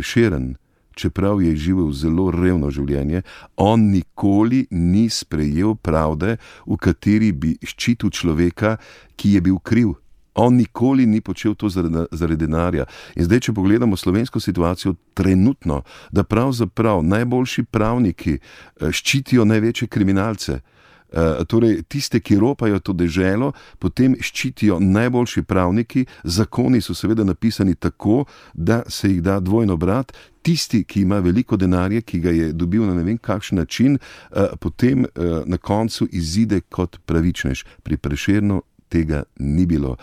Prešeren, čeprav je živel zelo revno življenje, on nikoli ni sprejel pravde, v kateri bi ščitil človeka, ki je bil kriv. On nikoli ni počel to zaradi denarja. In zdaj, če pogledamo slovensko situacijo trenutno, da pravzaprav najboljši pravniki ščitijo največje kriminalce, torej tiste, ki ropajo to deželo, potem ščitijo najboljši pravniki, zakoni so seveda napisani tako, da se jih da dvojno brat, tisti, ki ima veliko denarja, ki ga je dobil na ne vem kakšen način, potem na koncu izide kot pravičnež. Pri Prešernu tega ni bilo.